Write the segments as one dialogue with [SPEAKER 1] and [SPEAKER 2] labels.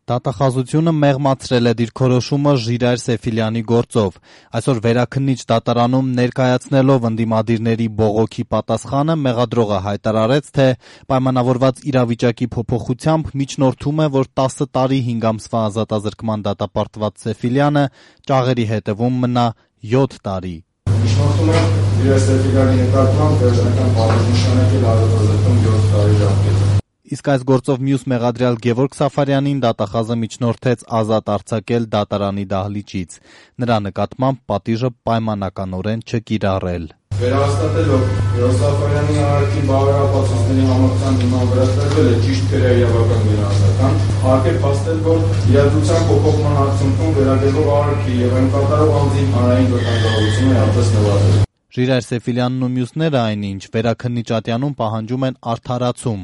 [SPEAKER 1] Դատախազությունը մեղմացրել է դիրքորոշումը Ժիրայր Սեֆիլյանի գործով։ Այսօր վերաքննիչ դատարանում ներկայացնելով ընդդիմադիրների բողոքի պատասխանը մեղադրողը հայտարարեց, թե պայմանավորված իրավիճակի փոփոխությամբ միջնորդում է, որ 10 տարի 5 ամսվա ազատազրկման դատապարտված Սեֆիլյանը ճաղերի հետևում մնա 7 տարի։
[SPEAKER 2] Միջնորդում է Ժիրայր Սեֆիլյանի նկատմամբ վերջնական պատժամիջոցներ ազատազրկում 7 տարի ժամկետը։
[SPEAKER 1] Իսկ այս գործով մյուս մեղադրյալ Գևորգ Սաֆարյանին դատախազը միջնորդեց ազատ արձակել դատարանի դահլիճից։ Նրա նկատմամբ պատիժը պայմանականորեն չկիրառել։
[SPEAKER 2] Վերահաստատելով Գևորգ Սաֆարյանի արարքի բարոյապատասխանների համակցության հիման վրա տրվել է ճիշտ քրեական գնահատական, հարկ է փաստել, որ իրադրության փոփոխման արդյունքում վերագրվող արարքի եւ այն կատարող անձի հանրային վտանգավորությունը հատած նվազել։
[SPEAKER 1] Ժիրայր Սեֆիլյանն ու մյուսները այնինչ վերաքննիչ ատյանում պահանջում են արդարացում։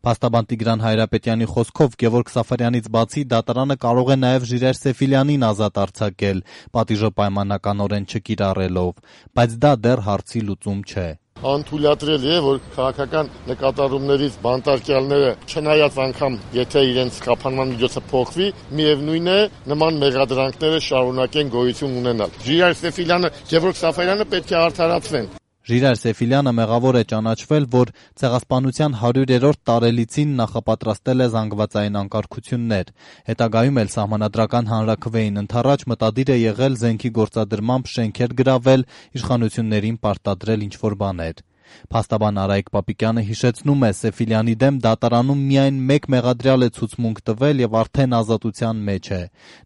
[SPEAKER 1] Փաստաբան Տիգրան Հայրապետյանի խոսքով Գևորգ Սաֆարյանից բացի դատարանը կարող է նաև Ժիրայր Սեֆիլյանին ազատ արձակել, պատիժը պայմանականորեն չկիրառելով, բայց դա դեռ հարցի լուծում չէ։
[SPEAKER 3] Անթույլատրելի է, որ քաղաքական նկատառումներից բանտարկյալները, չնայած անգամ եթե իրենց կապանման միջոցը փոխվի, միևնույն է նման մեղադրանքները շարունակեն գոյություն ունենալ։ Ժիրայր Սեֆիլյանը, Գևորգ Սաֆարյանը պետք է արդարացվեն։
[SPEAKER 1] Ժիրայր Սեֆիլյանը մեղավոր է ճանաչվել, որ ցեղասպանության 100-րդ տարելիցին նախապատրաստել է զանգվածային անկարգություններ։ Հետագայում էլ սահմանադրական հանրաքվեին ընդառաջ մտադիր է եղել զենքի գործադրմամբ շենքեր գրավել, իշխանություններին պարտադրել ինչ-որ բաներ։ Փաստաբան Արայիկ Պապիկյանը հիշեցնում է, Սեֆիլյանի դեմ դատարանում միայն մեկ մեղադրյալ է ցուցմունք տվել եւ արդեն ազատության մեջ է։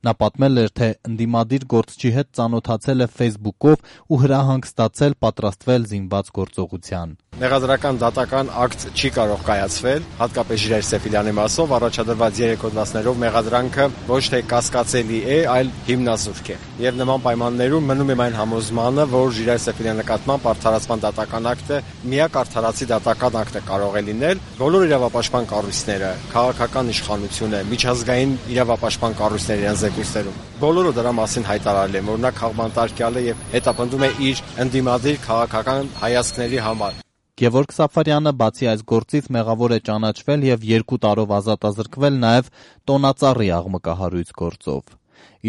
[SPEAKER 1] Նա պատմել էր, թե ընդդիմադիր գործչի հետ ծանոթացել է Facebook-ով ու հրահանգ ստացել պատրաստվել զինված գործողության։
[SPEAKER 4] Մեղադրական դատական ակտ չի կարող կայացվել, հատկապես Ժիրայր Սեֆիլյանի մասով առաջադրված 3 հոդվածներով մեղադրանքը ոչ թե կասկածելի է, այլ հիմնազուրկ է։ Եվ նման պայմաններում մնում է այն համոզմանը, որ Ժիրայր Սեֆիլյանի նկատմամբ արդարացման դատական ակտը միակ արդարացի դատական ակտը կարող է լինել։ Բոլոր իրավապաշտպան կառույցները, քաղաքական իշխանությունը, միջազգային իրավապաշտպան կառույցները իրենց զեկույցներում բոլորը դրա մասին հայտարարել են, որ նա քաղբանտարկյալ է եւ հետապնդում է իր ընդդիմադիր քաղաքական հայացքների համար։
[SPEAKER 1] Գևորգ Սաֆարյանը բացի այս գործից մեղավոր է ճանաչվել եւ 2 տարով ազատազրկվել նաեւ տոնածառի աղմկահարույց գործով։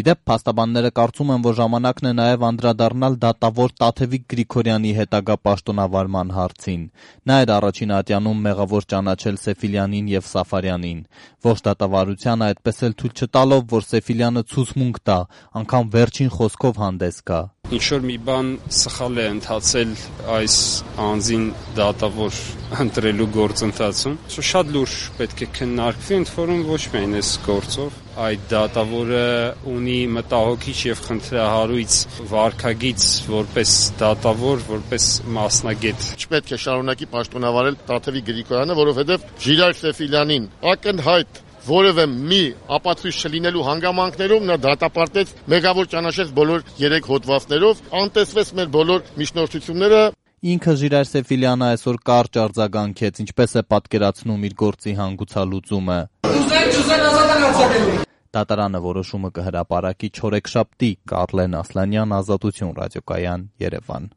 [SPEAKER 1] Իդեպ փաստաբանները կարծում են, որ ժամանակն է նաև անդրադառնալ դատավոր Տաթևիկ Գրիգորյանի հետագա պաշտոնավարման հարցին։ Նա էր առաջին ատյանում մեղավոր ճանաչել Սեֆիլյանին եւ Սաֆարյանին։ Ողջ դատավարությանը այդպես էլ թույլ չտալով, որ Սեֆիլյանը ցուցմունք տա, անգամ վերջին խոսքով հանդես գա։
[SPEAKER 5] Ինչ-որ մի բան սխալ է ընթացել այս անձին դատավոր ընտրելու գործընթացում։ Շատ լուրջ պետք է քննարկվի, ընդ որում ոչ միայն այս գործով, այդ դատավորը ունի մտահոգիչ եւ խնդրահարույց վարքագիծ որպես դատավոր, որպես մասնագետ։
[SPEAKER 3] Չպետք է շարունակի պաշտոնավարել Տաթևիկ Գրիգորյանը, որովհետեւ Ժիրայր Սեֆիլյանին ակնհայտ որևէ մի ապացույց չլինելու հանգամանքներում նա դատապարտեց, մեղավոր ճանաչեց բոլոր 3 հոդվածներով, անտեսվեց մեր բոլոր միջնորդությունները։
[SPEAKER 1] Ինքը Ժիրայր Սեֆիլյանը այսօր կարճ արձագանքեց, ինչպես է պատկերացնում իր գործի հանգուցալուծումը։ Դատարանը որոշումը կհրապարակի չորեքշաբթի։ Կարլեն Ասլանյան, Ազատություն ռադիոկայան, Երևան։